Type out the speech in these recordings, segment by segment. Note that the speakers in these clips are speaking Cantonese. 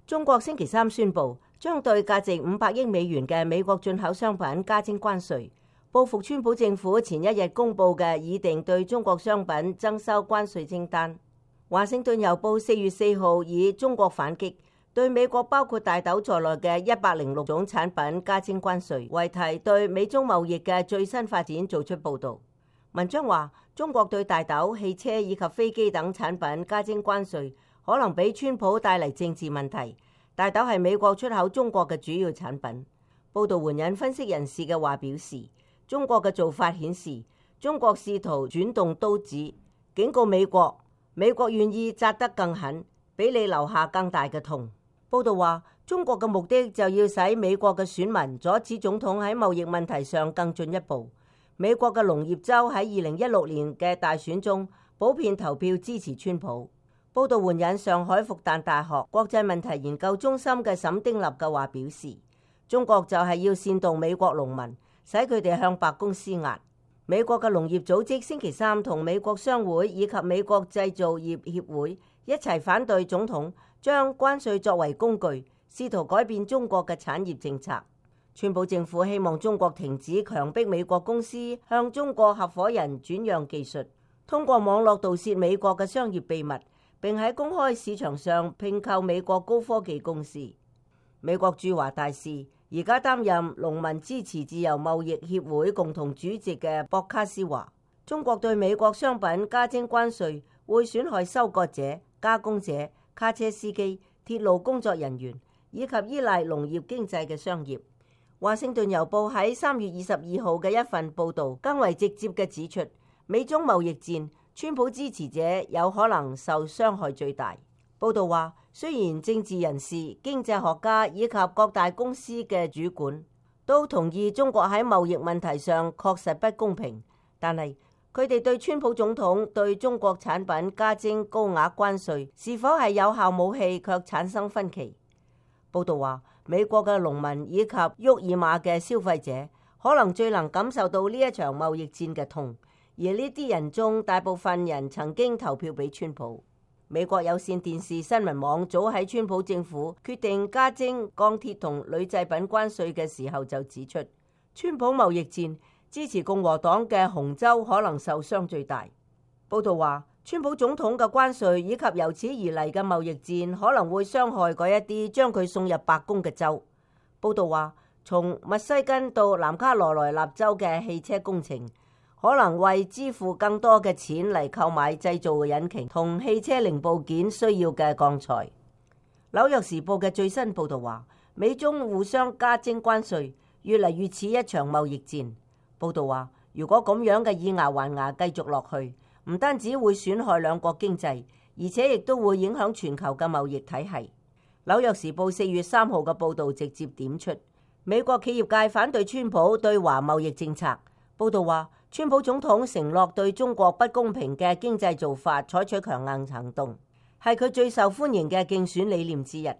中國星期三宣布將對價值500億美元嘅美國進口商品加徵關稅，報復川普政府前一日公布嘅擬定對中國商品徵收關稅清單。華盛頓郵報4月4號以中國反擊，對美國包括大豆在內嘅106種產品加徵關稅為題，對美中貿易嘅最新發展做出報導。文章話，中國對大豆、汽車以及飛機等產品加徵關稅，可能俾川普帶嚟政治問題。大豆係美國出口中國嘅主要產品。報導援引分析人士嘅話表示，中國嘅做法顯示中國試圖轉動刀子，警告美國願意扎得更狠，俾你留下更大嘅痛。報導話，中國嘅目的就要使美國嘅選民阻止總統喺貿易問題上更進一步。美國嘅農業州喺2016年嘅大選中普遍投票支持川普。報導援引上海復旦大學國際問題研究中心嘅沈丁立嘅話表示，中國就係要煽動美國農民，使佢哋向白宮施壓。美國嘅農業組織星期三同美國商會以及美國製造業協會一齊反對總統將關稅作為工具，試圖改變中國嘅產業政策。川普政府希望中國停止強迫美國公司向中國合夥人轉讓技術，通過網絡盜竊美國嘅商業秘密，並喺公開市場上併購美國高科技公司。美國駐華大使而家擔任農民支持自由貿易協會共同主席嘅博卡斯話，中國對美國商品加徵關稅會損害收割者、加工者、卡車司機、鐵路工作人員以及依賴農業經濟嘅商業。華盛頓郵報喺3月22號嘅一份報導更為直接嘅指出，美中貿易戰，川普支持者有可能受傷害最大。報導話，雖然政治人士、經濟學家以及各大公司嘅主管都同意中國喺貿易問題上確實不公平，但係佢哋對川普總統對中國產品加徵高額關稅是否係有效武器卻產生分歧。報導話，美國嘅農民以及沃爾瑪嘅消費者可能最能感受到呢一場貿易戰嘅痛，而呢啲人中大部分人曾經投票俾川普。美國有線電視新聞網早喺川普政府決定加徵鋼鐵同鋁製品關稅嘅時候就指出，川普貿易戰支持共和黨嘅紅州可能受傷最大。報導話，川普總統嘅關稅以及由此而嚟嘅貿易戰可能會傷害嗰一啲將佢送入白宮嘅州。報導話，從密西根到南卡羅來納州嘅汽車工程可能為支付更多嘅錢嚟購買製造嘅引擎同汽車零部件需要嘅鋼材。紐約時報嘅最新報導話，美中互相加徵關稅，越嚟越似一場貿易戰。報導話，如果咁樣嘅以牙還牙繼續落去，唔單止會損害兩國經濟，而且亦都會影響全球嘅貿易體系。紐約時報4月3號嘅報導直接點出，美國企業界反對川普對華貿易政策。報導話，川普總統承諾對中國不公平嘅經濟做法採取強硬行動，係佢最受歡迎嘅競選理念之一。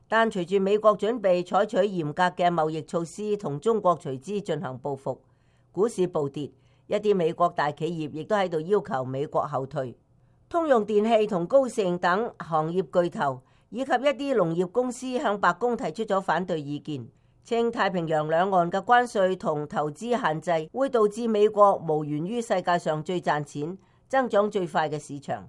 但隨住美國準備採取嚴格嘅貿易措施同中國隨之進行報復，股市暴跌，一啲美國大企業亦都喺度要求美國後退。通用電氣同高盛等行業巨頭以及一啲農業公司向白宮提出咗反對意見，稱太平洋兩岸嘅關稅同投資限制會導致美國無緣於世界上最賺錢、增長最快嘅市場。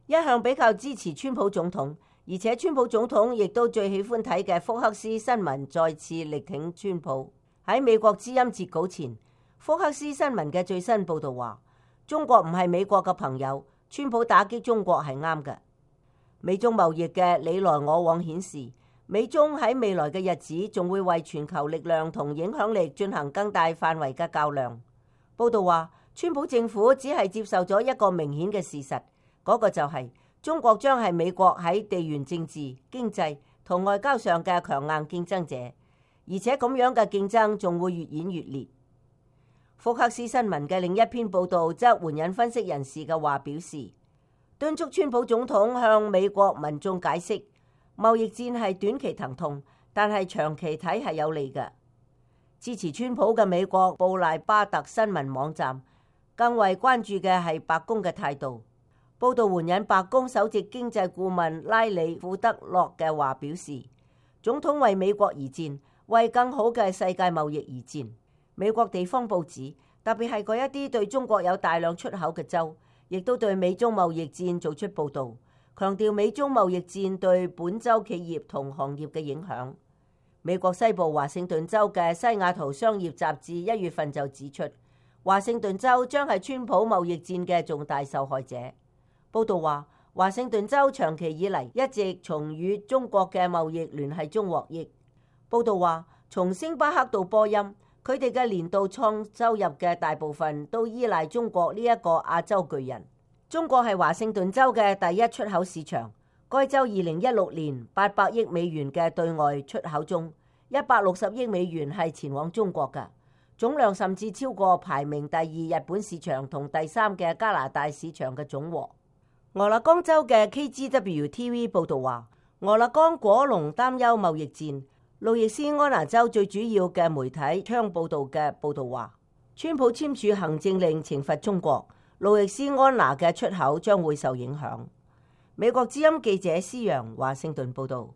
一向比較支持川普總統，而且川普總統亦都最喜歡睇嘅福克斯新聞再次力挺川普。喺美國之音截稿前，福克斯新聞嘅最新報導話，中國唔係美國嘅朋友，川普打擊中國係啱嘅。美中貿易嘅你來我往顯示，美中喺未來嘅日子仲會為全球力量同影響力進行更大範圍嘅較量。報導話，川普政府只係接受咗一個明顯嘅事實，嗰個就係中國將係美國喺地緣政治、經濟同外交上嘅強硬競爭者，而且咁樣嘅競爭仲會越演越烈。福克斯新聞嘅另一篇報導則援引分析人士嘅話表示，敦促川普總統向美國民眾解釋，貿易戰係短期疼痛，但係長期睇係有利嘅。支持川普嘅美國布賴巴特新聞網站更為關注嘅係白宮嘅態度。報導援引白宮首席經濟顧問拉里庫德洛嘅話表示，總統為美國而戰，為更好嘅世界貿易而戰。美國地方報紙，特別係嗰一啲對中國有大量出口嘅州，亦都對美中貿易戰做出報導，強調美中貿易戰對本州企業同行業嘅影響。美國西部華盛頓州嘅西雅圖商業雜誌1月份就指出，華盛頓州將係川普貿易戰嘅重大受害者。報導話，華盛頓州長期以嚟一直從與中國嘅貿易聯繫中獲益。報導話，從星巴克到波音，佢哋嘅年度創收入嘅大部分都依賴中國呢一個亞洲巨人。中國係華盛頓州嘅第一出口市場。該州2016年800億美元嘅對外出口中，160億美元係前往中國嘅，總量甚至超過排名第2日本市場同第3嘅加拿大市場嘅總和。俄勒岡州嘅 KGW-TV 報導話，俄勒岡果農擔憂貿易戰。路易斯安那州最主要嘅媒體窗報導嘅報導話，川普簽署行政令懲罰中國，路易斯安那嘅出口將會受影響。美國之音記者施揚華盛頓報導。